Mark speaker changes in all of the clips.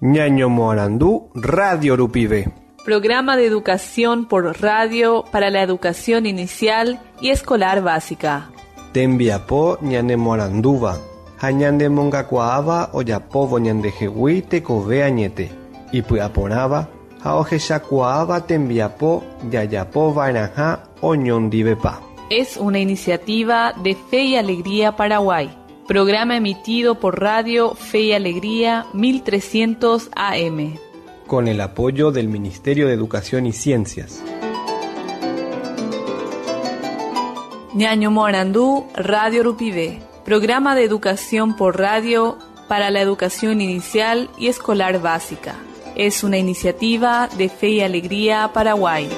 Speaker 1: Ñañomoarandu radio rupive.
Speaker 2: Programa de educación por radio para la educación inicial y escolar básica.
Speaker 1: Tembiapo ñanemoarandúva ha ñanemongakuaáva ojapóvo ñandehegui tekove añete, ipy'aporãva ha ohechakuaáva tembiapo jajapova'erãha oñondivepa.
Speaker 2: Es una iniciativa de Fe y Alegría Paraguay. Programa emitido por Radio Fe y Alegría 1300 AM.
Speaker 1: Con el apoyo del Ministerio de Educación y Ciencias.
Speaker 2: Ñañomoarandú Radio Rupivé. Programa de educación por radio para la educación inicial y escolar básica. Es una iniciativa de Fe y Alegría Paraguay.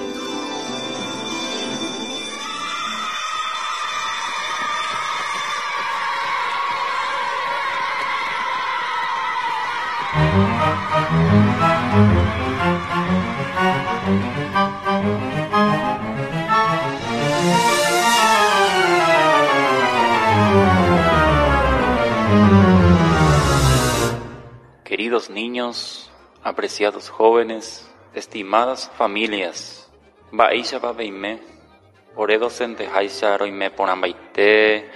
Speaker 3: Queridos niños, apreciados jóvenes, estimadas familias, mba'éichapa peime, ore docenteháicha roime porãmbaite,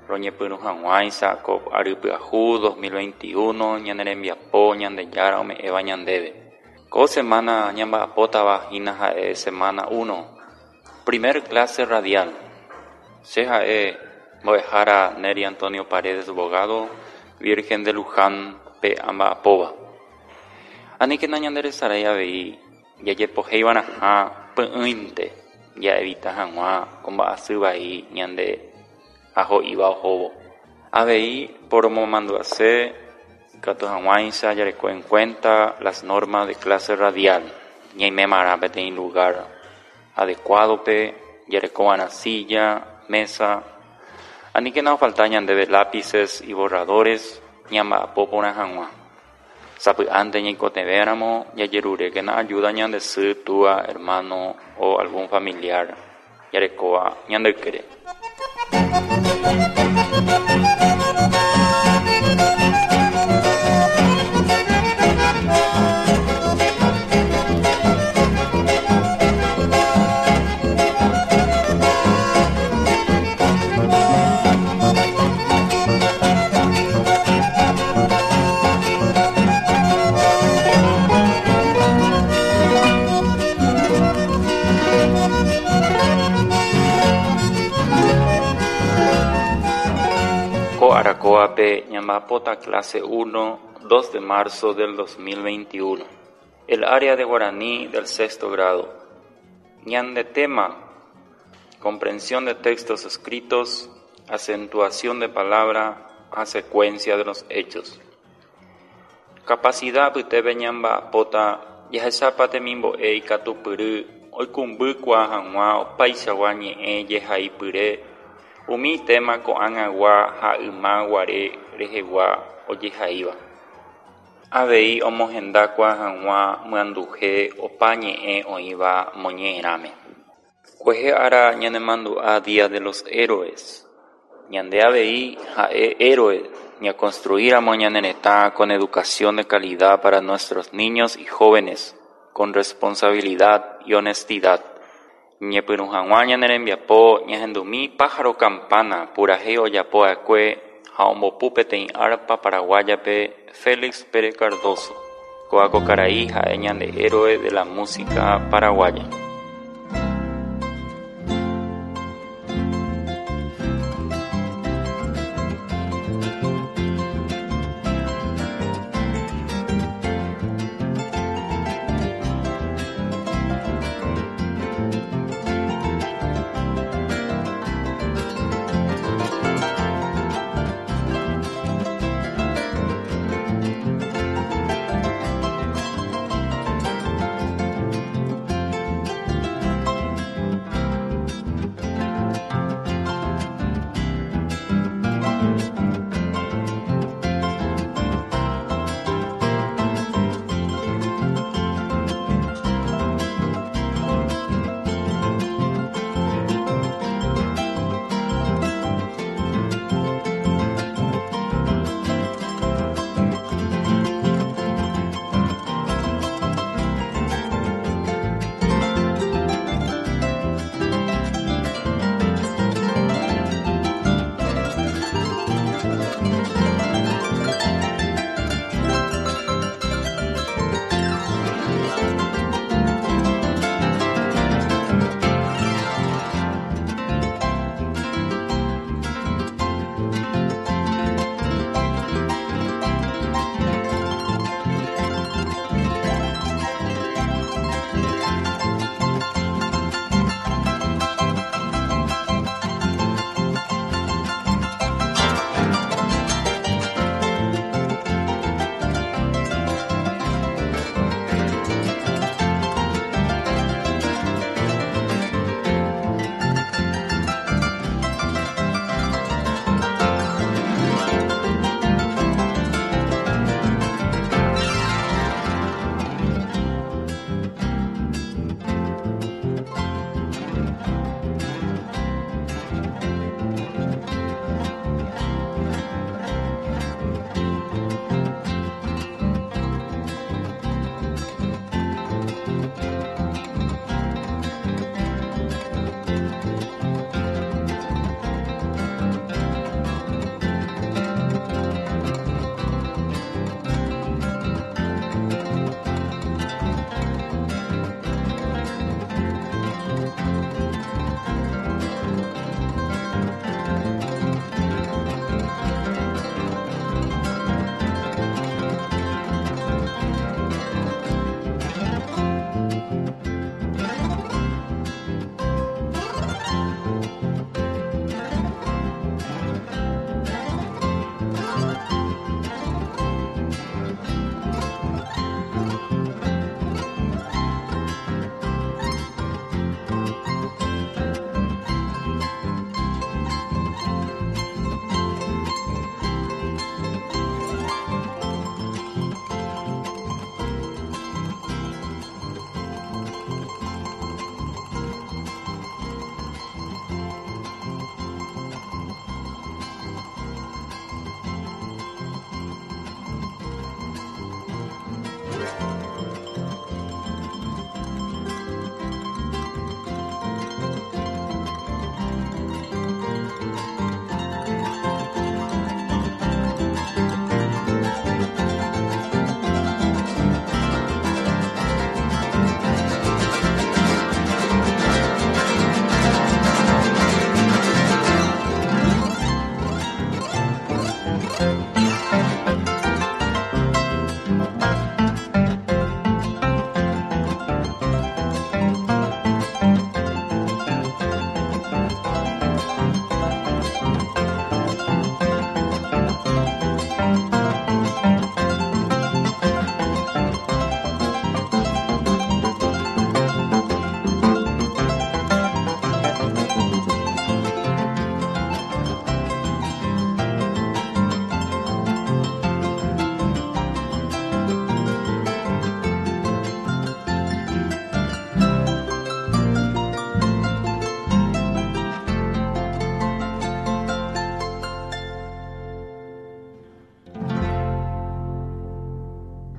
Speaker 3: roñepyrũ hag̃uáicha ko ary pyahu 2021 ñane rembiapo Ñandejára ome'ẽva ñandéve. Ko semana ñamba'apótava hína ha'e semana 1, primer clase radial. Che ha'e mbo'ehára Nery Antonio Paredes Bogado, Virgen de Luján pe amba'apóva. Aníkena ñanderesarái avei jajepohéiva'erãha py'ỹinte ja'evita hag̃ua ko mba'asy vai ñande aho'íva ohóvo. Avei poromomandu'ase ikatu hag̃uáicha jareko en cuenta las normas de clase radial. Ñaimémarã peteĩ lugar adecuado-pe, jarekova'erã silla, mesa. Aníkena ofalta ñandéve lápices y borradores ñamba'apo porã hag̃ua. Sapy'ánte ñaikotevẽramo jajerurékena ayuda ñande sy, túa, hermano o algún familiar jarekóva ñande ykére. Ko arakóvape ñamba'apóta clase 1, 2 de marzo del 2021. El área de guaraní del sexto grado. Ñande tema, comprensión de textos escritos, acentuación de palabra ha secuencia de los hechos. Capacidad apytépe ñamba'apóta jahechápa temimbo'e ikatupyry oikũmbykuaa hag̃ua opaichagua ñe'ẽ jehaipyre umi tema ko'ag̃agua ha ymaguare rehegua ojehaíva. Avei omohendakuaa hag̃ua myanduhe opa ñe'ẽ oĩva moñe'ẽrãme. Kuehe ára ñanemandu'a Día de los Héroes. Ñande avei ha'e héroe ñaconstruíramo ñane retã con educación de calidad para nuestros niños y jóvenes, con responsabilidad y honestidad. Ñepyrũ hag̃ua ñane rembiapo ñahendumi Pájaro Campana purahéi ojapova'ekue ha ombopu peteĩ arpa paraguáyape Félix Pérez Cardozo. Kóva ko karai ha'e ñande héroe de la música paraguaya.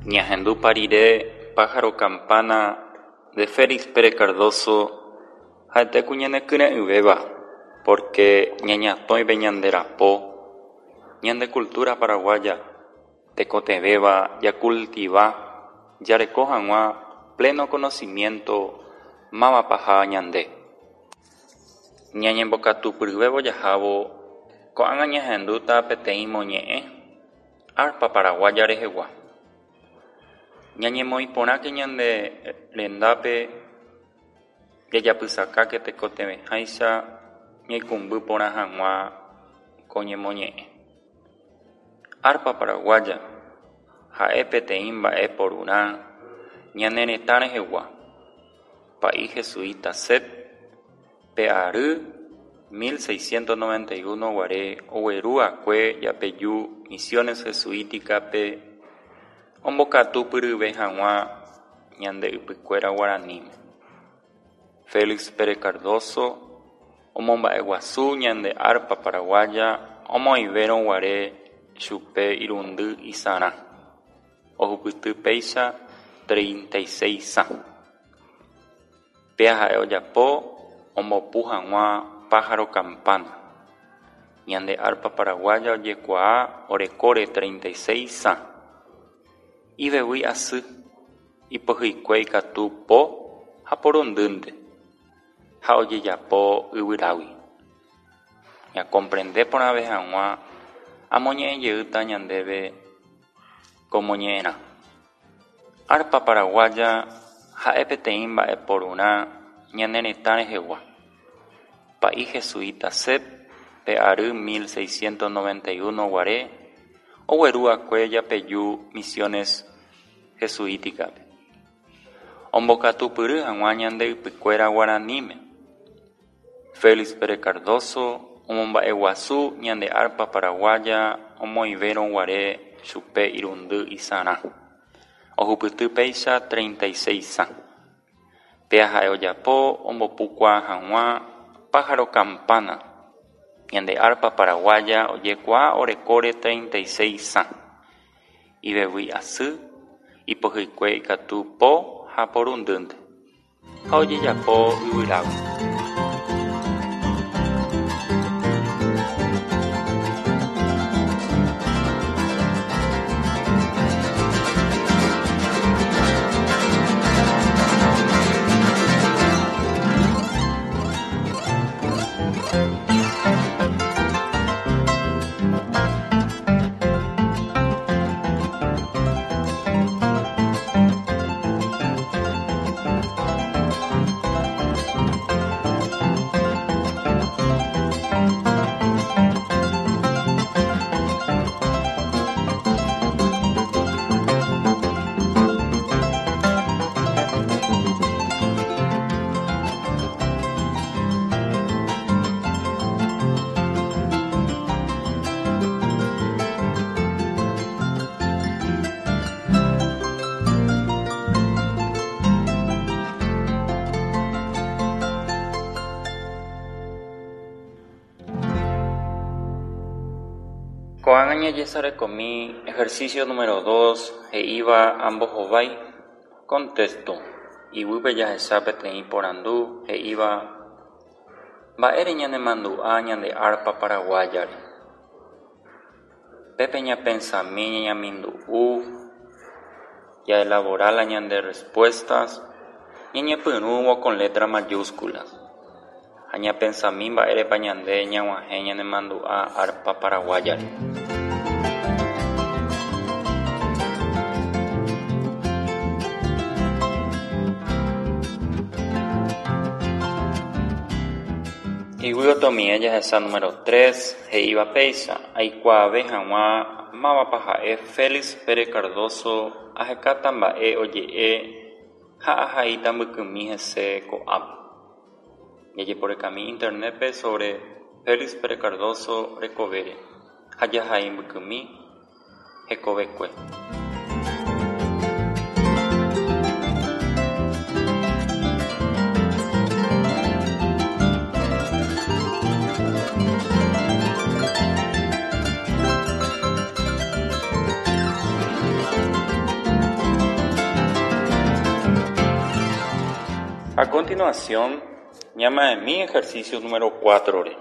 Speaker 3: Ñahendupa rire Pájaro Campana de Félix Pérez Cardozo ha'ete ku ñanekyre'ỹvéva porque ñañatõive ñande rapo, ñande cultura paraguaya tekotevẽva jacultiva jareko hag̃ua pleno conocimiento mávapa ñande. Ñañembokatupyryvévo jahávo ko'ág̃a ñahendúta peteĩ moñe'ẽ arpa paraguaya rehegua. Ñañemoĩ porãke ñande rendápe jajapysakáke tekotevẽháicha ñaikũmby porã hag̃ua ko ñemoñe'ẽ. Arpa paraguaya ha'e peteĩ mba'e porurã ñane retã rehegua. Pa'i jesuita Sep pe ary 1691 guare ogueru'akue japeju Misiones Jesuíticape ombokatupyryve hag̃ua ñande ypykuéra guaraníme. Félix Pérez Cardozo omomba'eguasu ñande arpa paraguaya omoĩvérõ guare chupe irundy isarã. Ohupyty péicha 36 sã. Péa ha'e ojapo ombopu hag̃ua Pájaro Campana. Ñande arpa paraguaya ojekuaa orekóre 36 sã. Ivevýi asy, ipohyikue ikatu po ha porundýnte ha ojejapo yvyrágui. Ñacomprende porãve hag̃ua amoñe'ẽjeýta ñandéve ko moñe'ẽrã. Arpa paraguaya ha'e peteĩ mba'eporurã ñane retã rehegua. Pa'i jesuita Sep pe ary 1691 guare ogueru'akue japeju Misiones Jesuíticape. Ombokatupyry hag̃ua ñande ypykuéra guaraníme. Félix Pérez Cardozo omomba'eguasu ñande arpa paraguaya omoĩvérõ guare chupe irundy isarã. Ohupyty péicha 36 sã. Péa ha'e ojapo ombopukuaa hag̃ua Pájaro Campana. Ñande arpa paraguaya ojekuaa orekóre 36 sã. Ivevýi asy, ipohyikue ikatu po ha porundýnte ha ojejapo yvyrágui. Ko'ág̃a ñajesarekomi ejercicio número 2 he'íva ambohovái. Contexto. Iguýpe jahecha peteĩ porandu he'íva mba'ére ñanemandu'a ñande arpa paraguáyare. Pépe ñapensami ñañamindu'u jaelabora la ñande respuestas ñañepyrũvo con letra mayúsculas ha ñapensami mba'érepa ñande ñag̃uahẽ ñanemandu'a arpa paraguáyare. Iguy jahesa número 3 he'íva péicha aikuaave hag̃ua mávapa ha'e Félix Pérez Cardozo ahekáta mba'e oje'e ha ahaíta mbykymi hese ko'ápe. Jajeporekami internet-pe sobre Félix Pérez Cardozo rekovére ha jahai mbykymi hekovekue. A continuación, ñama'ẽmi ejercicio número 4-re.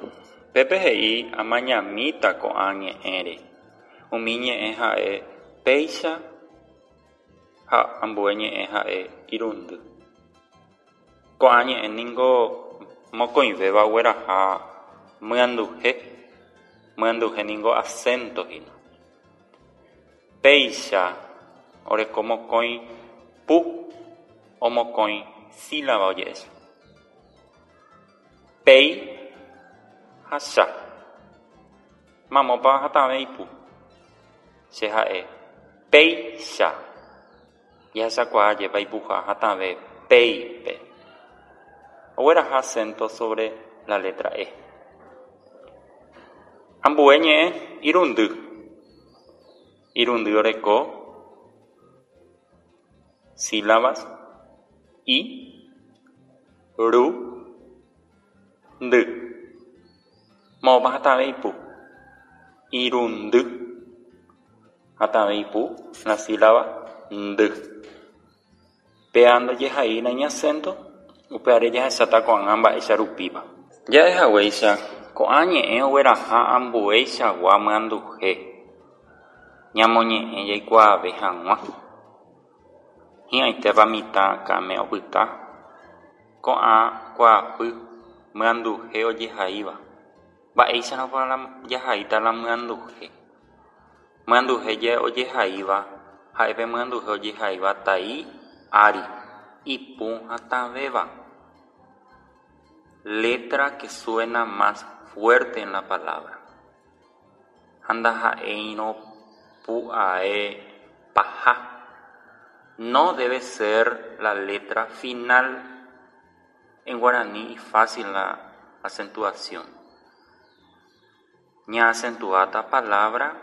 Speaker 3: Pépe he'i amañamíta ko'ã ñe'ẽre. Umi ñe'ẽ ha'e péicha ha ambue ñe'ẽ ha'e irundy. Ko'ã ñe'ẽ ningo mokõivéva ogueraha myanduhe, myanduhe ningo acento hína. Péicha oreko mokõi pu o mokõi sílaba oje'écha. Péi ha cha. Mamópa hatãve ipu. Che ha'e péicha. Jahechakuaa jepa ipuha hatãve péipe. Ogueraha acento sobre la letra E. Ambue ñe'ẽ irundy. Irundy oreko sílabas i, ru, ndy. Moõpa hatãve ipu. Irundy. Hatãve ipu la sílaba ndy. Péa ndojehaína iñacento upévare jahecháta ko'ág̃a mba'éicha rupípa. Ja'ehaguéicha ko'ã ñe'ẽ ogueraha ambueichagua myanduhe ñamoñe'ẽ jaikuaave hag̃ua. Hi'ãitépa mitã akãme opyta ko'ã kuaapy myanduhe ojehaíva. Mba'éicharõpa jahaíta la myanduhe. Myanduhe ojehaíva ha'e pe myanduhe ojehaíva tai ári ipu hatãvéva. Letra que suena más fuerte en la palabra. Ha ndaha'éirõ pu'ae paha. No debe ser la letra final. En guaraní fácil la acentuación. Ñaacentuáta palabra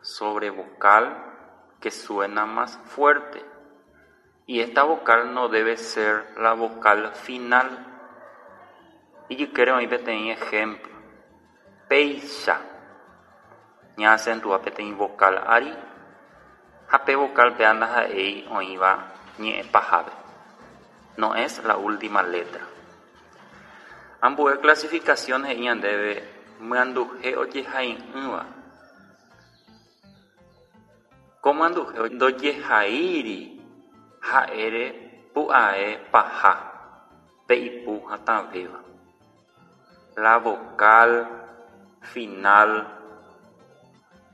Speaker 3: sobre vocal que suena más fuerte. Y esta vocal no debe ser la vocal final. Ijykére oĩ peteĩ ejemplo. Péicha. Ñaacentua peteĩ vocal ári ha pe vocal péa ndaha'éi oĩva ñe'ẽ pahápe. No es la última letra. Ambue clasificación he'i ñandéve myanduhe ojehai'ỹva. Ko myanduhe ndojehaíri ha'ére pu'ae paha pe ipu hatãvéva. La vocal final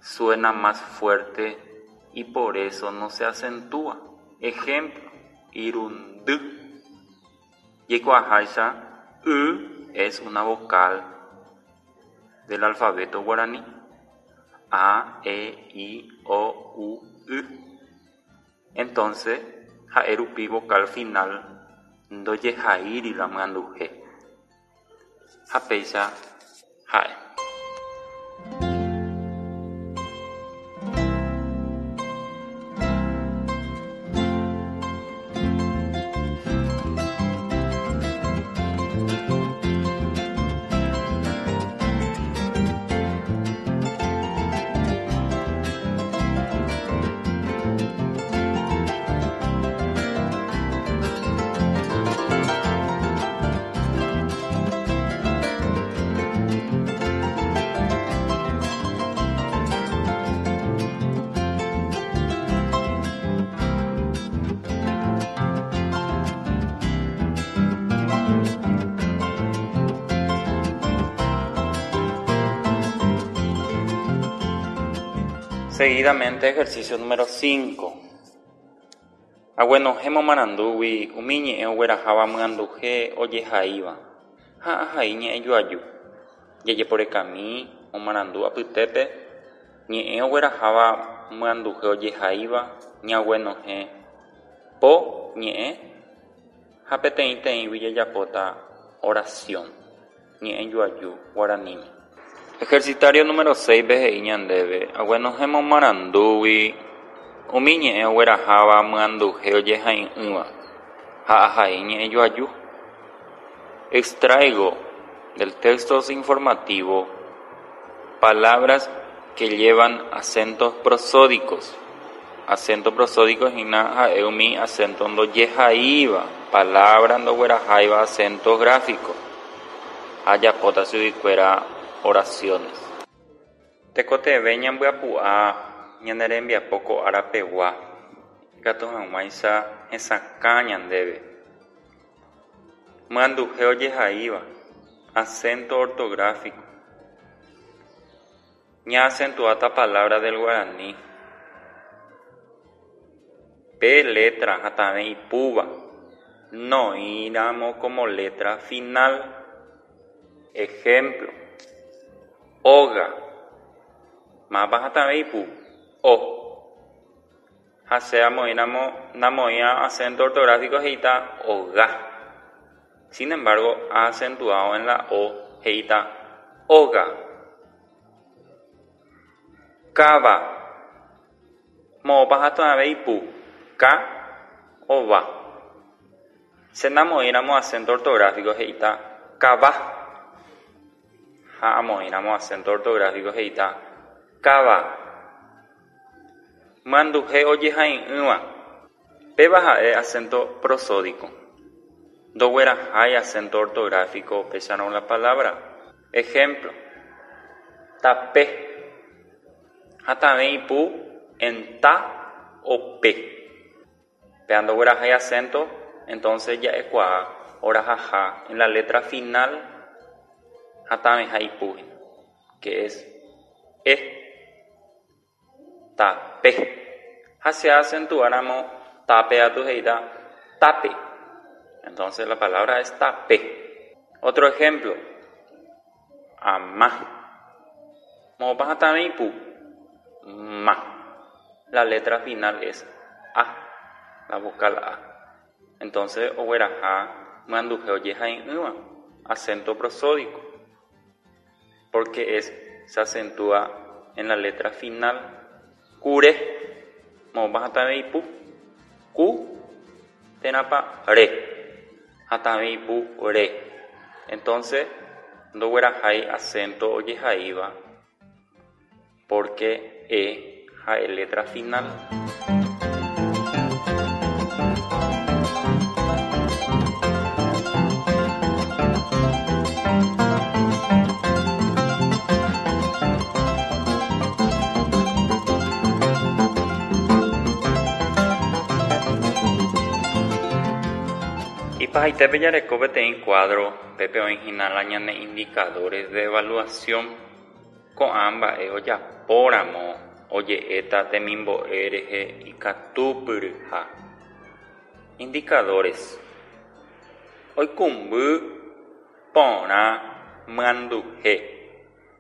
Speaker 3: suena más fuerte y por eso no se acentúa. Ejemplo, irundy. Jaikuaaháicha, y es una vocal del alfabeto guaraní. A, E, I, O, U, Y. Entonces, ha'e rupi vocal final ndojehaíri la myanduhe. Ha péicha ha'e. Seguidamente ejercicio número 5. Aguenohẽ momarandúgui umi ñe'ẽ ogueraháva myanduhe ojehaíva. Ha ahai ñe'ẽjoaju. Jajeporekami momarandu apytépe ñe'ẽ ogueraháva myanduhe ojehaíva ñaguenohẽ po ñe'ẽ ha peteĩteĩgui jajapóta oración, ñe'ẽjoaju guaraníme. Ejercitario número 6-pe he'i ñandéve aguenohẽ momarandúgui umi ñe'ẽ ogueraháva myanduhe ojehai'ỹva ha ahai ñe'ẽjoaju. Extraigo del texto informativo palabras que llevan acentos prosódicos. Acento prosódico hína ha'e umi acento ndojehaíva, palabra ndogueraháiva acento gráfico. Ajapóta chuguikuéra oraciones. Tekotevẽ ñambyapu'a ñane rembiapo ko árapegua ikatu hag̃uáicha hesakã ñandéve. Myanduhe ojehaíva, acento ortográfico. Ñaacentuáta palabra del guaraní. Pe letra hatãve ipúva noĩramo como letra final. Ejemplo: óga. Mávapa hatãve ipu? O. Ha che amoĩramo namoĩva acento ortográfico he'íta oga. Sin embargo, acentuado en la O he'íta óga. Káva. Moõpa hatãve ipu? Ka o va. Che namoĩramo acento ortográfico he'íta kava. Ha amoĩramo acento ortográfico he'íta káva. Myanduhe ojehai'ỹva. Péva ha'e acento prosódico. Ndoguerahái acento ortográfico upéicharõ la palabra. Ejemplo: tape. Hatãve ipu en ta o pe. Péva ndoguerahái acento, entonces ja'ekuaa orahaha en la letra final hatãveha ipu hína, que es e. Tape. Ha che acentuáramo tape atu he'íta tape. Entonces la palabra es tape. Otro ejemplo. Ama. Moõpa hatãve ipu? Ma. La letra final es a, la vocal a. Entonces ogueraha myanduhe ojehai'ỹva, acento prosódico. Porque es se acentúa en la letra final. Kure. Moõpa hatãve ipu? Ku térãpa re. Hatãve ipu re. Entonces ndoguerahái acento ojehaíva porque e ha'e letra final. Ipahaitépe jareko peteĩ cuadro pépe oĩhína la ñane indicadores de evaluación. Ko'ã mba'e ojapóramo oje'éta temimbo'e rehe ikatupyryha. Indicadores. Oikũmby porã myanduhe.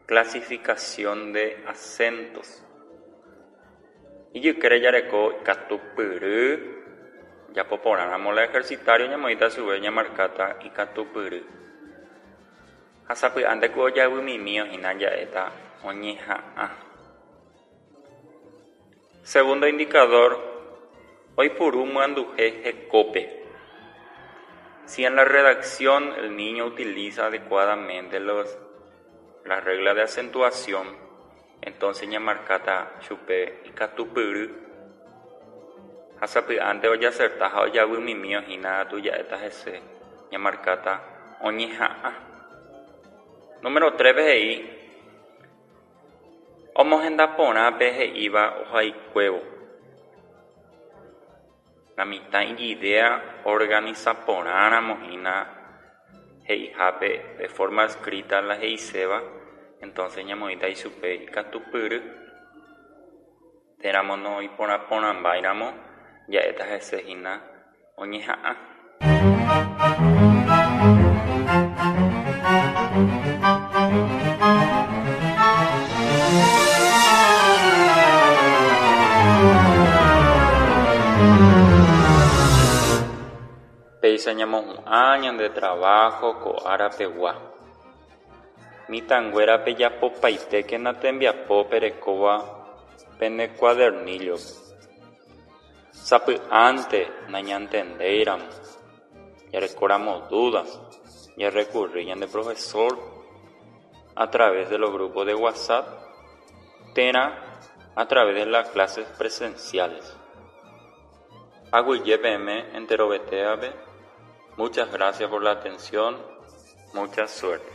Speaker 3: Clasificación de acentos. Ijykére jareko ikatupyry. Japoporãramo la ejercitario ñamoĩta chupe ñamarkáta ikatupyry. Ha sapy'ánte ku ojavymimi oĩhína ja'éta oñeha'ã. Segundo indicador, oipuru myanduhe hekópe. Si en la redacción el niño utiliza adecuadamente las reglas de acentuación, entonces ñamarkáta chupe ikatupyry. Ha sapy'ánte ojaserta ha ojavymimi oĩhína katu ja'éta hese ñamarkáta oñeha'ã. Número 3 he'i omohenda porã pe he'íva ohaikuévo. La mitã ijidea organiza porãramo hína he'ihápe de forma escrita la he'iséva, entonces ñamoĩta ichupe ikatupyry. Téramo noiporãporãmbáiramo ja'éta hese hína oñeha'ã. Péicha ñamohu'ã ñande trabajo ko árapegua. Mitãnguéra pejapopaitékena tembiapo perekóva pene cuadernillo-pe. Sapy'ánte nañantendéiramo, jarekóramo dudas, jarrecurri ñande profesor a través de los grupos de WhatsApp térã a través de las clases presenciales. Aguyje peẽme enterovetévape, muchas gracias por la atención, mucha suerte.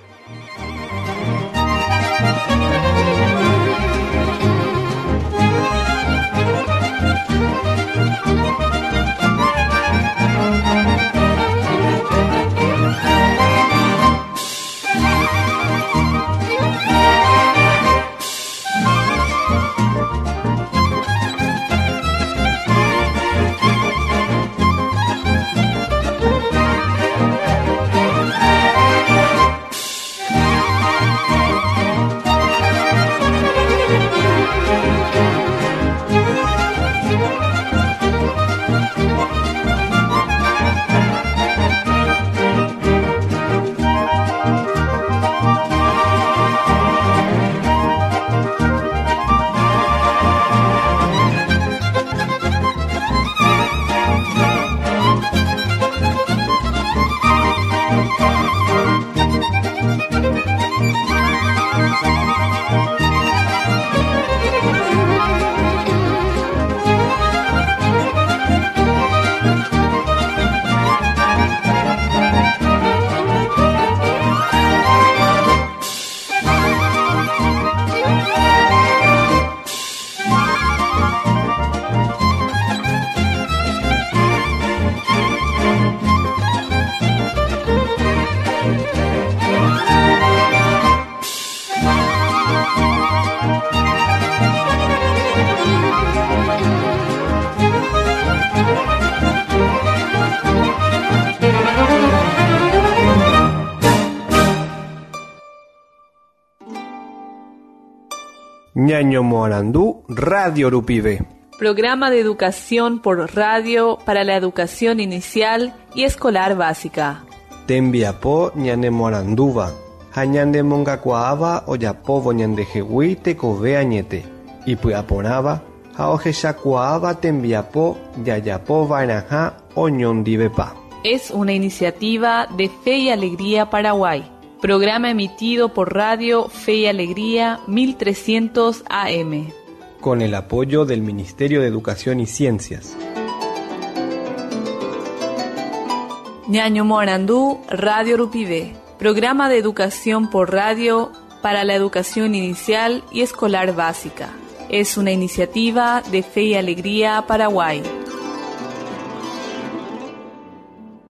Speaker 1: Ñañomoarandu Radio Rupive.
Speaker 2: Programa de educación por radio para la educación inicial y escolar básica.
Speaker 1: Tembiapo ñanemoarandúva ha ñanemongakuaáva ojapóvo ñandehegui tekove añete, ipy'aporãva ha ohechakuaáva tembiapo jajapova'erãha oñondivepa.
Speaker 2: Es una iniciativa de Fe y Alegría Paraguay. Programa emitido por Radio Fe y Alegría 1300 AM.
Speaker 1: Con el apoyo del Ministerio de Educación y Ciencias.
Speaker 2: Ñañomoarandu Radio Rupive. Programa de educación por radio para la educación inicial y escolar básica. Es una iniciativa de Fe y Alegría Paraguay.